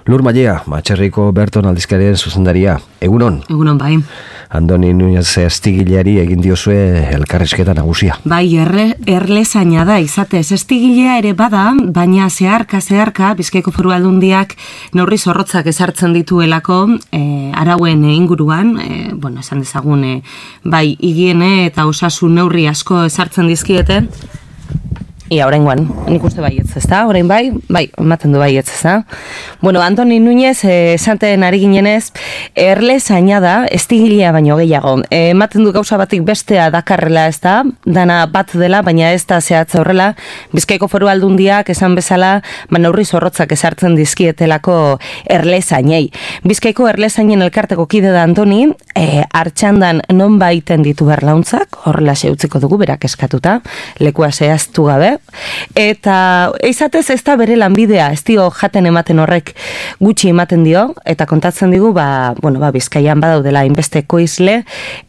Lur Mailea, Matxerriko Berton aldizkarien zuzendaria. Egunon? Egunon, bai. Andoni Núñez Estigileari egin diozue elkarrizketa nagusia. Bai, erlezaina da, izatez. Estigilea ere bada, baina zeharka, Bizkaiko Foru Aldundiak neurri zorrotzak ezartzen dituelako arauen inguruan, esan dezagun, bai, higiene eta osasun neurri asko ezartzen dizkiete. Ia, oraingoan, nik uste baietz, ezta? Orain bai, ematen du baietz, ezta? Andoni Núñez, esanten ari ginenez, erlezaina da, estigilea baino gehiago. Ematen du gauza batik bestea dakarrela, ezta? Dana bat dela, baina ez da zehatza horrela. Bizkaiko Foru Aldundiak esan bezala, neurri zorrotzak ezartzen dizkietelako erlezainei. Bizkaiko erlezainen elkarteko kide da Antoni, Artxandan non baiten ditu berlauntzak, horrela utziko dugu, berak eskatuta, lekua zehaztu gabe. Eta izatez ez da bere lanbidea, ez dio jaten ematen horrek gutxi ematen dio, eta kontatzen digu, Bizkaian badaudela hainbesteko izle,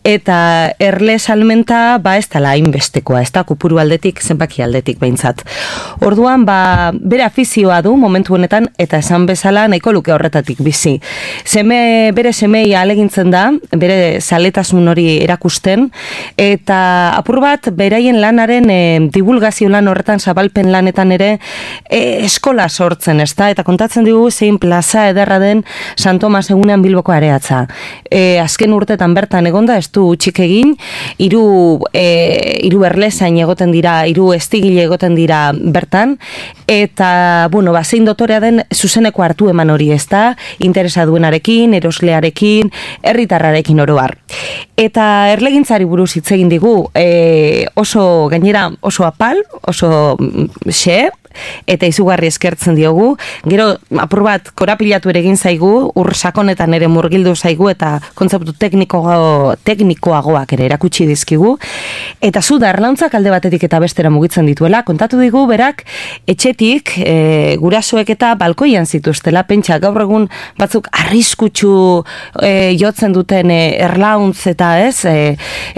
eta erle salmenta ez dela hainbestekoa, ez da kupuru aldetik, zenbaki aldetik behintzat. Orduan, bere afizioa du momentu honetan, eta esan bezala nahiko luke horretatik bizi. Bere semei alegintzen da, bere zaletasun hori erakusten, eta apur bat, beraien lanaren divulgazio lan horretan, zabalpen lanetan ere eskola sortzen, ezta? Eta kontatzen digu zein plaza ederra den San Tomas egunean Bilboko areatza. Azken urtetan bertan egonda, ez du utxik egin, hiru erlezain egoten dira, 3 estigile egoten dira bertan, eta, zein dotorea den zuzeneko hartu eman hori, ezta? Interesa duenarekin, eroslearekin, herritarrarekin oro har. Eta erlegintzari buruz hitz egin digu, oso apal, oso xe, eta izugarri eskertzen diogu. Gero, apur bat, korapilatu ere egin zaigu, sakonetan ere murgildu zaigu, eta kontzeptu teknikoagoak ere erakutsi dizkigu. Eta zu da, erlauntzak alde batetik eta bestera mugitzen dituela, kontatu digu, berak, etxetik, gurasoek eta balkoian zituztela, pentsa, gaur egun batzuk arriskutsu jotzen duten erlauntz eta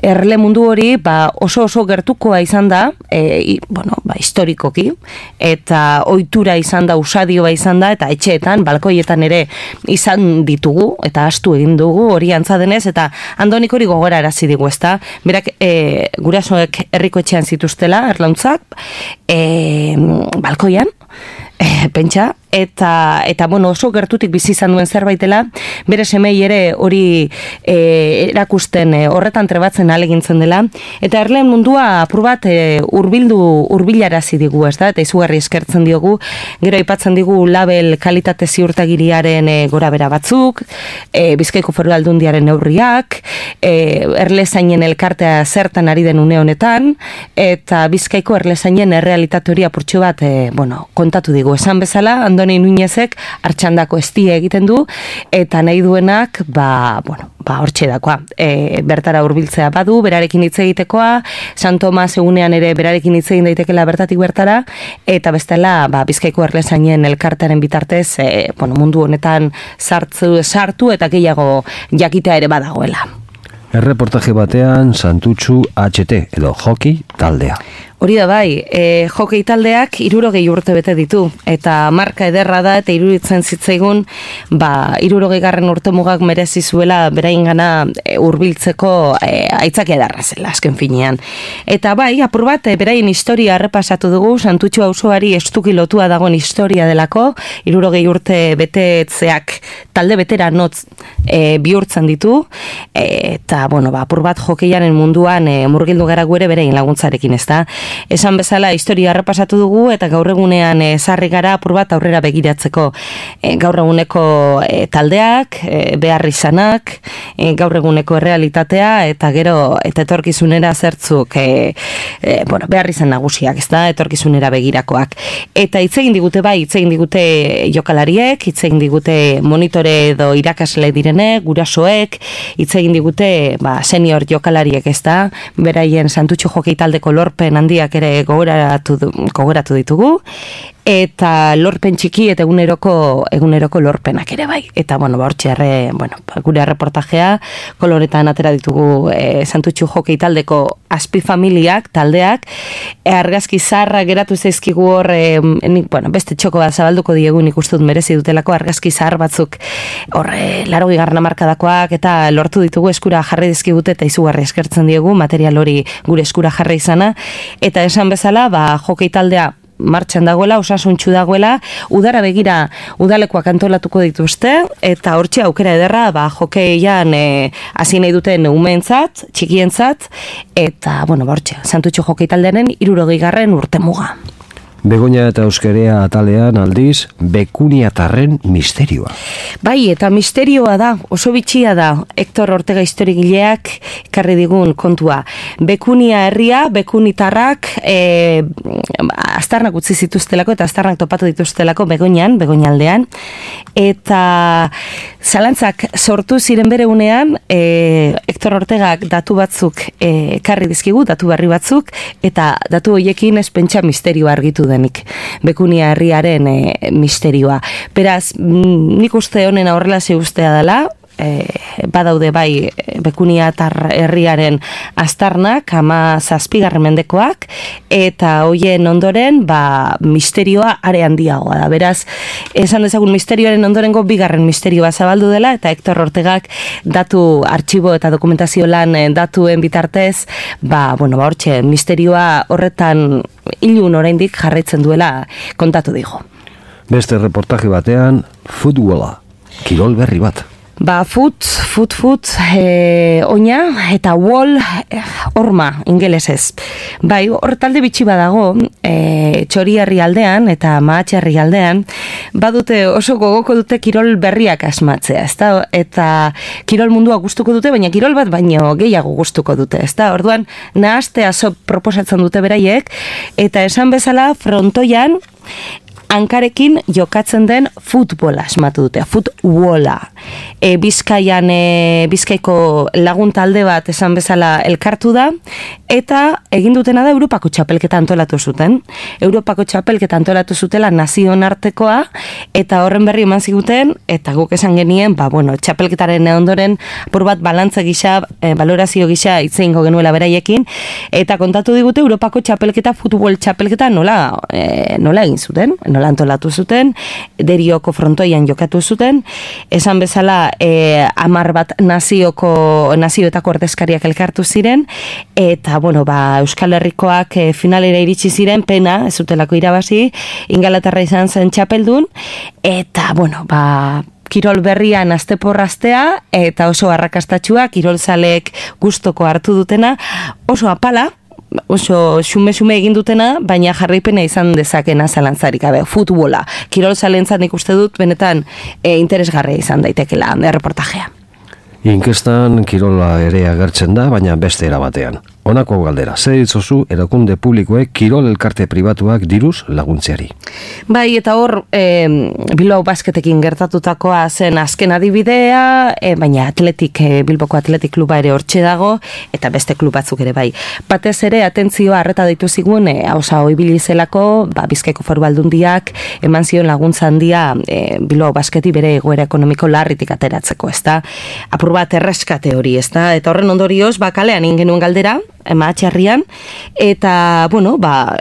erle mundu hori, oso gertukoa izan da, historikoki, eta ohitura izan da, usadioa izan da, eta etxeetan, balkoietan ere izan ditugu, eta astu egin dugu, hori antza denez, eta Andonik hori gogora arazi digu, ezta? Berak gurasoek herriko etxean zituztela, erlauntzak, balkoian, pentsa, eta oso gertutik bizi izan duen zerbaitela, bere semei ere hori erakusten horretan trebatzen alegintzen dela, eta erleen mundua apur bat hurbilarazi digu, ez da, eta izugarri eskertzen diogu, gero aipatzen digu label kalitate ziurtagiriaren gorabera batzuk, Bizkaiko Foru Aldundiaren neurriak, erlezainen elkartea zertan ari den une honetan, eta Bizkaiko erlezainen errealitate hori apurtxo bat, kontatu digu, esan bezala, Andoni Núñezek Artxandako estia egiten du, eta nahi duenak, hortxe dakoa. Bertara hurbiltzea badu, berarekin hitz egitekoa, San Tomas egunean ere berarekin hitz egin daitekela bertatik bertara, eta bestela, Bizkaiko erlezainen elkartearen bitartez, mundu honetan sartu eta gehiago jakitea ere badagoela. Erreportaje batean Santutxu HT edo Hockey taldea. Hori da bai, Hockey taldeak 60 urte bete ditu, eta marka ederra da, eta iruditzen zitzaigun, 60 urtemugak merezi zuela beraingana hurbiltzeko aitzaki edarra zela, azken finean. Eta bai, apur bat, beraien historia errepasatu dugu, Santutxu auzoari estuki lotua dagoen historia delako, 60 urte betetzeak talde betera notz bihurtzen ditu, eta, apur bat hokeiaren munduan murgildu gara gure beraien laguntzarekin, ez da? Esan bezala historia errepasatu dugu, eta gaur egunean sarri gara apur bat aurrera begiratzeko. Gaur eguneko taldeak, behar izanak, gaur eguneko errealitatea, eta gero eta etorkizunera zertzuk behar izan nagusiak, ez da, etorkizunera begirakoak. Eta hitz egin digute hitz egin digute jokalariek, hitz egin digute monitore edo irakasle direnek, gurasoek, hitz egin digute senior jokalariek, ez da, beraien Santutxu Hockey taldeko lorpen handiak ere gogoratu ditugu, eta lorpen txiki eta eguneroko lorpenak ere bai. Eta, hortxe gure reportajea, koloretan atera ditugu Santutxu Hokei taldeko azpifamiliak, taldeak, argazki zaharra geratu zaizkigu hor, beste txoko bat zabalduko diegu nik uste dut merezi dutelako argazki zahar batzuk hor 80. hamarkadakoak eta lortu ditugu eskura jarri dizkigute eta izugarri eskertzen diegu material hori gure eskura jarri izana, eta esan bezala, Hokei taldea martxan dagoela, osasuntxu dagoela, udara begira udalekoak antolatuko dituzte, eta hortxe aukera ederra, hokeian hasi nahi duten umeentzat, txikientzat, eta, hortxe, Santutxu Hokei taldearen 60. urtemuga. Begoña eta Euskerea atalean aldiz, Bekuniatarren misterioa. Bai, eta misterioa da, oso bitxia da, Hector Ortega historigileak karri digun kontua. Bekunia herria, Bekunitarrak, aztarnak utzi zituztelako eta aztarnak topatu dituztelako Begoñaldean, eta zalantzak sortu ziren bere unean, Hector Ortegak datu batzuk karri dizkigu, datu berri batzuk, eta datu horiekin ez pentsa misterioa argitu denik, Bekunia herriaren misterioa. Beraz, nik uste honen horrela ustea dela, badaude bai Bekuniatar herriaren aztarnak, 17. mendekoak, eta hoien ondoren misterioa are handiagoa da. Beraz, esan dezagun misterioaren ondorengo 2. misterioa zabaldu dela, eta Hector Ortegak datu artxibo eta dokumentazio lan datuen bitartez, hortxe, misterioa horretan ilun oraindik jarraitzen duela kontatu digo. Beste reportaje batean, futbola, kirol berri bat. Oina eta wall horma ingelesez. Bai, hor talde bitxi badago, Txoriarri aldean eta Mahatxarri aldean, badute oso gogoko dute kirol berriak asmatzea, ezta? Eta kirol mundua gustuko dute, baina kirol bat baino gehiago gustuko dute, ezta? Orduan, nahastea proposatzen dute beraiek, eta esan bezala frontoian hankarekin jokatzen den futbola asmatu dute, futbola. Bizkaiko lagun talde bat esan bezala elkartu da, eta egin dutena da Europako txapelketa antolatu zuten. Europako txapelketa antolatu zutela nazioen artekoa, eta horren berri eman ziguten, eta guk esan genien, txapelketaren ondoren apur bat balantza gisa, valorazio gisa itzeingo genuela beraiekin, eta kontatu digute Europako txapelketa, futbol txapelketa nola egin zuten, nola antolatu zuten, Derioko frontoian jokatu zuten, esan bezala 10 bat nazioetako ordezkariak elkartu ziren, eta Euskal Herrikoak finalera iritsi ziren, pena, ez zutelako irabazi, Ingalaterra izan zen txapeldun, eta kirol berrian azteporraztea, eta oso arrakastatxua, kirolzaleek gustoko hartu dutena, oso apala, oso xume egin dutena, baina jarraipena izan dezakena zalantzarik gabe, futbola. Kirol zalentzat nik uste dut, benetan interesgarria izan daitekela reportajea. Inkestan kirola ere agertzen da, baina beste erabatean. Honako galdera, zer ditzozu erakunde publikoek kirol elkarte pribatuak diruz laguntzeari? Bai, eta hor Bilbao Basketekin gertatutakoa zen azken adibidea, baina Bilboko Atletik kluba ere hortxe dago, eta beste klub batzuk ere bai. Batez ere, atentzioa arreta ditu zigun, hauza hobili zelako, Bizkaiko Foru Aldundiak eman zion laguntza handia Bilbao Basketi bere egoera ekonomiko larritik ateratzeko, ezta? Apur bat erreskate hori, ezta? Eta horren ondorioz, kalean egin genuen galdera, Mahatxarrian, eta,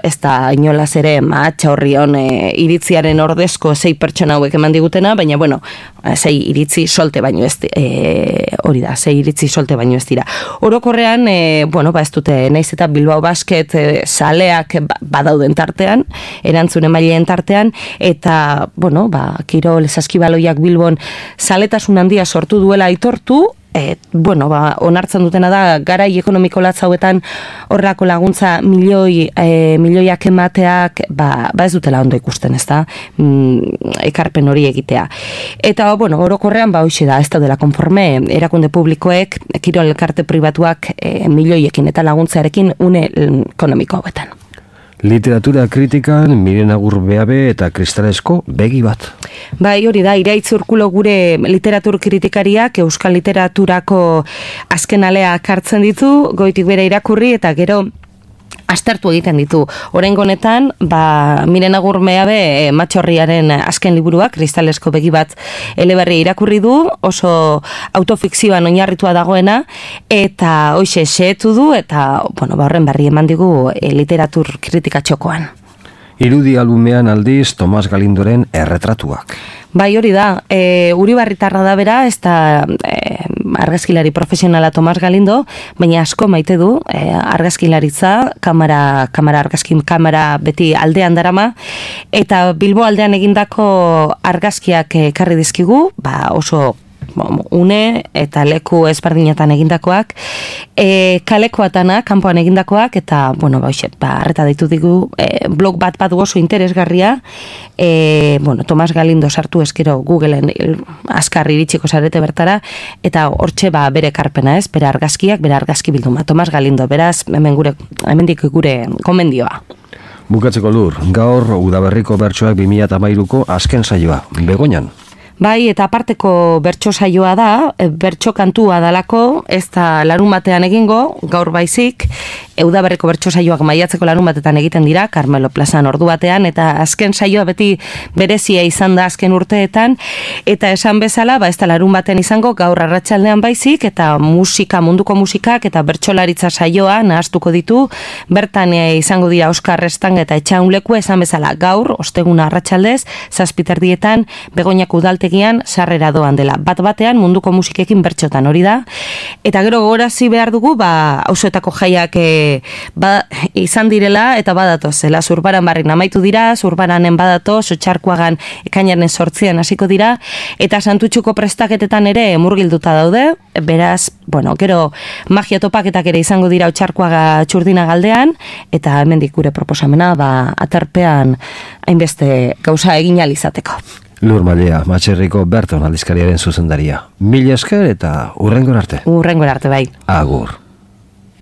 ez da inolaz ere Mahatxa horrion iritziaren ordezko 6 pertsona hauek eman digutena, baina, 6 iritzi solte baino ez hori da, 6 iritzi solte baino ez dira. Orokorrean, ez dute, naiz eta Bilbao Basket zaleak badauden tartean, erantzun emaileen tartean, eta, kirol saskibaloiak Bilbon zaletasun handia sortu duela aitortu, onartzen dutena da, garai ekonomiko latz hauetan horrako laguntza milioiak emateak, ez dutela ondo ikusten, ez da, ekarpen hori egitea. Eta, orokorrean, hoxe da, ez daudela konforme, erakunde publikoek, kirol elkarte pribatuak milioiekin eta laguntzarekin une ekonomiko hauetan. Literatura kritikan Miren Agur Beabe eta Kristalesko begi bat. Bai, hori da, Iraitz Urkulo gure literatur kritikariak euskal literaturako azken aleak hartzen ditu, goitik bere irakurri eta gero aztertu egiten ditu. Oraingo honetan, Miren Agurmeabe Matxorriaren azken liburuak, Kristalesko begi bat eleberri irakurri du, oso autofikzioan oinarritua dagoena, eta hoxe xehetu du, eta horren berri eman digu literatur kritika txokoan. Irudi albumean aldiz Tomas Galindoren erretratuak. Bai, hori da, Uribarritarra da bera, ez da argazkilari profesionala Tomas Galindo, baina asko maite du argazkilaritza, kamera beti aldean darama, eta Bilbo aldean egindako argazkiak ekarri dizkigu, oso une eta leku ezberdinetan egindakoak, kalekoatana, kanpoan egindakoak, eta, arreta ditu digu, blog bat oso interesgarria, Tomas Galindo sartu eskero Googleen azkar iritsiko zarete bertara, eta hortxe bere karpena ez, bere argazkiak, bere argazki bilduma, Tomas Galindo, beraz, hemendik gure komendioa. Bukatzeko Lur, gaur Udaberriko bertsoak 2013ko azken saioa, Begoñan. Bai, eta aparteko bertso saioa da, bertso kantua dalako, ez da larun batean egingo, gaur baizik, Udaberriko bertso saioak maiatzeko larun batetan egiten dira, Carmelo Plazan ordu batean, eta azken saioa beti berezia izan da azken urteetan, eta esan bezala, ez da larun batean izango, gaur arratsaldean baizik, eta munduko musikak, eta bertsolaritza saioa nahaztuko ditu, bertan izango dira Oskar Restang eta Etxaunleku, esan bezala gaur, osteguna arratsaldez, 7:00 Begoñako udaltegian sarrera doan dela. Bat-batean munduko musikekin bertxotan hori da. Eta gero gogorazi behar dugu, auzoetako jaiak izan direla eta badatoz. Zurbaran barrik namaitu dira, Zurbaranen badatoz, Otxarkoagan ekainaren 8 hasiko dira, eta Santutxuko prestaketetan ere murgilduta daude, beraz, gero magia topaketak ere izango dira Otxarkoaga Txurdina galdean, eta hemendik gure proposamena, aterpean hainbeste gauza egin ahal izateko. Lur Mailea, Matxerriko Berton aldizkariaren zuzendaria. Mila esker eta hurrengora arte. Hurrengora arte, bai. Agur.